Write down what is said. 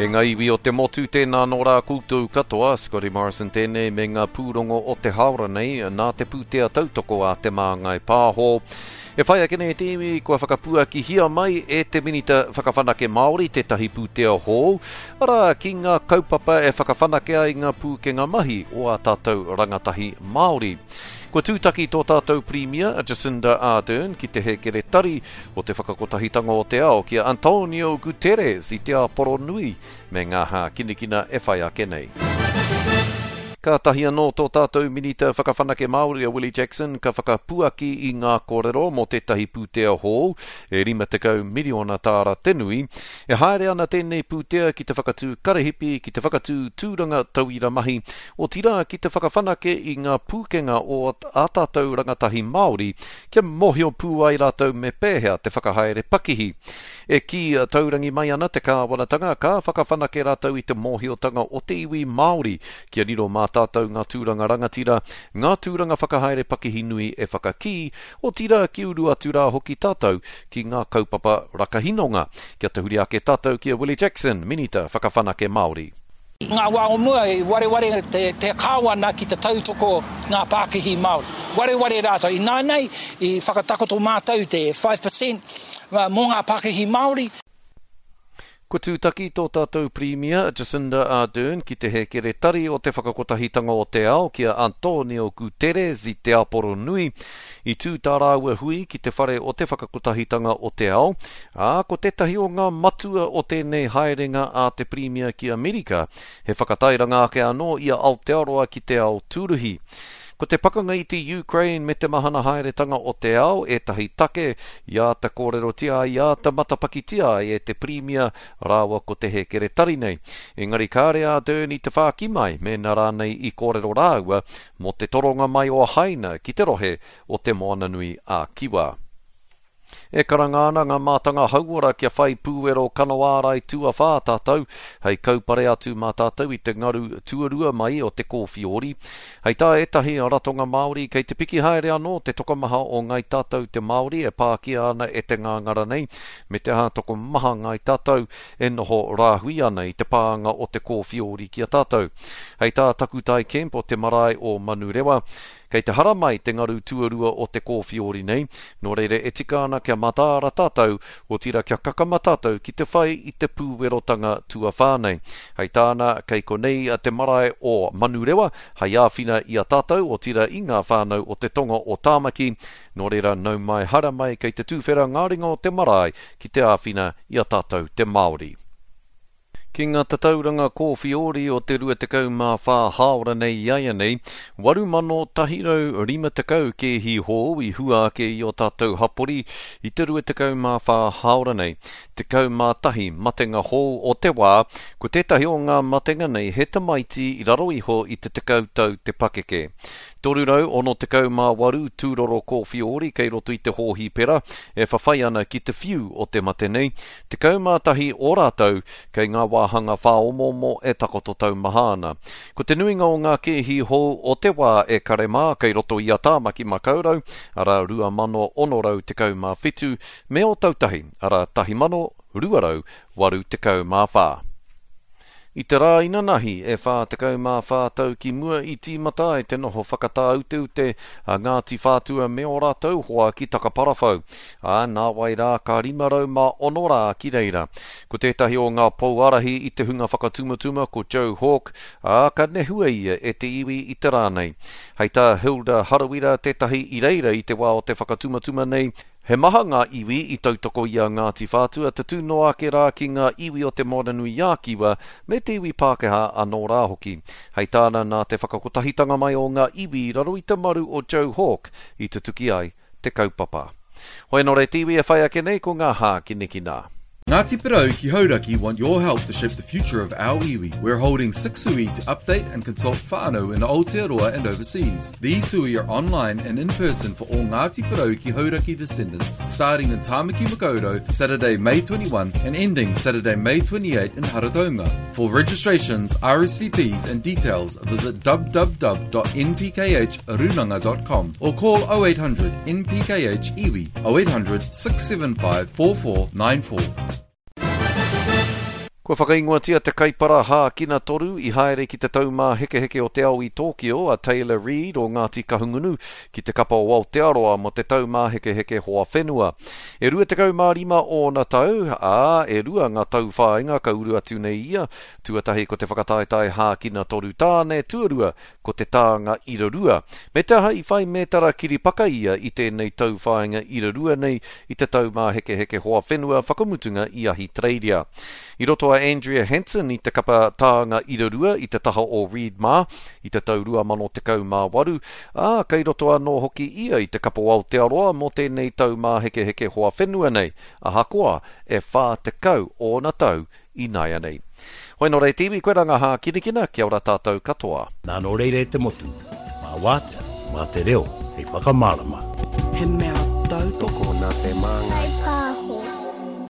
E ngā iwi o te motu, tēnā nō rā koutou katoa, Scotty Morrison tēnei me ngā pūrongo o te haora nei nā te pūtea tautoko a Te Māngai Pāho. E whai ake nei te iwi kua whakapuakihia mai e te Minita Whakawhanake Māori tētahi pūtea hou, arā, ki ngā kaupapa e whakawhanake ai ngā pūkenga mahi o ā tātou rangatahi Māori. Kua tūtaki tō tātou Pirimia, a Jacinda Ardern, ki te hēkeretari o te Whakakotahitanga o te Ao, ki a Antonio Guterres i Te Āporo Nui me ngā hākinakina e whai ake nei. Kātahi anō tō tātou Minita Whakawhanake Māori a Willie Jackson ka whakapuaki i ngā kōrero mō tētahi pūtea hou e 50 miriona tāra te nui. E haere ana tēnei pūtea ki te whakatū karahipi, ki te whakatū tūranga tauira mahi, otirā ki te whakawhanake i ngā pūkenga o ā tātou rangatahi Māori kia mōhio pū ai rātou me pēhea te whakahaere pakihi. E kī taurangi mai ana te kāwanatanga ka whakawhanake rātou i te mōhiotanga o te iwi Māori kia riro mā tātou ngā tūranga rangatira, ngā tūranga whakahaere pakihi nui e whakakī, otirā ki uru atu rā hoki tātou ki ngā kaupapa rakahinonga. Kia tahuri ake tātou ki a Willie Jackson, Minita Whakawhanake Māori. I ngā wā o mua i wareware te Kāwana ki te tautoko ngā pākihi Māori. Wareware rātou. Ināianei i whakatakoto mātou te 5% mō ngā pākihi Māori. Kua tūtaki tō tātou Pirimia, Jacinda Ardern, ki te hēkeretari o te Whakakotahitanga o te Ao, ki a Antonio Guterres i Te Aporo Nui. I tū tā rāua hui ki te whare o te Whakakotahitanga o te Ao, ā, ko tētahi o ngā matua o tēnei haerenga a te Pirimia ki Amerika, he whakatairanga ake anō i a Aotearoa ki te ao tūruhi. Ko te pakanga i te Ukraine me te mahana haeretanga o te ao ētahi take i āta kōrerotia ai, i āta matapakitia ai e te Pirimia rāua ko te hēkeretari nei. Engari kāre a Ardern i te whāki mai mēnā rānei i kōrero rāua mō te toronga mai o Haina ki te rohe o Te Moananui a Kiwa. E karanga ana ngā mātanga hauora kia whai pūwero kanoārai tuawhā tātou hei kaupare atu mā tātou i te ngaru tuarua mai o te kōwhiori. Hei tā ētahi ratonga Māori kei te piki haere anō te tokomaha o ngāi tātou te Māori e pākia ana e te ngāngara nei, me te aha tokomaha ngāi tātou e noho rāhui ana i te pānga o te kōwhiori ki a tātou. Hei tā Takutai Kemp o te marae o Manurewa, Kei te haramai te ngaru tuarua o te kōwhiori nei, nō reira e tika ana kia mataara tātou, otirā kia kakama tātou ki te whai i te pūwerotanga tuawhā nei. Hei tāna, kei konei te marae o Manurewa hei āwhina i a tātou, otirā i ngā whānau o te tonga o Tāmaki, nō reira nau mai haramai kei te tūwhera ngā ringa o te marae ki te āwhina i a tātou te Māori. Ki ngā tatauranga kōwhiori o te 24 hāora nei iaianei, 8,150 kēhi hou i hua ake i ō tātou hapori i te 24 hāora nei. 11 matenga hou o te wā, ko tētahi o ngā matenga nei he tamaiti i raro iho i te 10 tau te pakeke. 368 tūroro kōwhiori kei roto i te hōhipera e whawhai ana ki te whiu o te mate nei, 11 o rātou kei ngā wāhanga whāomoomo e takoto taumaha ana. Ko te nuinga o ngā kēhi hou o te wā e kare mā kei roto i a Tāmaki Makaurau, arā 2,617, me Ōtautahi, arā 1,284. I te rā inanahi, e 44 tau ki mua i tīmata ai te noho whakatāuteute a Ngāti Whātua me ō rātou hoa ki Takaparawhau, ā, nāwai rā ka 506 rā ki reira. Ko tētahi o ngā pou ārahi i te hunga whakatumatuma ko Joe Hawke, ā, ka nehua ia e te iwi i te rā nei. Hei tā Hilda Harawira tētahi i reira i te wā o te whakatumatuma nei, He maha ngā iwi i tautoko i a Ngāti Whātua tatū noa ake rā ki ngā iwi o Te Moananui-a-Kiwa me te iwi Pākehā anō rā hoki. Hei tāna nā te whakakotahitanga mai o ngā iwi i raro i te maru o Joe Hawke i tutuki ai te kaupapa. Hoi anō re te iwi e whai ake nei ko ngā hākinakina. Ngāti Porou ki Hauraki want your help to shape the future of our iwi. We're holding six hui to update and consult whānau in Aotearoa and overseas. These hui are online and in person for all Ngāti Porou ki Hauraki descendants, starting in Tāmaki Makaurau Saturday, May 21 and ending Saturday, May 28 in Harataunga. For registrations, RSVPs and details, visit www.npkhrunanga.com or call 0800 NPKH Iwi 0800 675 4494. Kua whakaingoatia te kaipara hākina toru i haere ki te Taumāhekeheke o te Ao i Tōkio, a Tayler Reid o Ngāti Kahungunu, ki te kapa o Aotearoa mō te Taumāhekeheke Hoa Whenua. E 25 ōna tau, ā, e rua ngā tauwhāinga ka uru atu nei ia, tuatahi ko te whakataetae hākina toru tāne, tuarua ko te tānga irarua. Me te aha i whai mētara kiripaka ia i tēnei tauwhāinga irarua nei i te Taumāhekeheke Hoa Whenua whakamutunga i Ahitereiria. I roto a Andrea Hansen i te kapa tānga irarua i te taha o Reid mā i te tau 2018, ā, kei roto anō hoki ia i te kapa o Aotearoa mō tēnei Taumāhekeheke Hoa Whenua nei, ahakoa e 40 ōna tau ināianei. Hoi nō reira te iwi, koe rā ngā hākinakina, kia ora tātou katoa. Nā nō reira e te motu, mā wātea, mā te reo hei whakamārama. He mea tautoko. Tokona te māngai.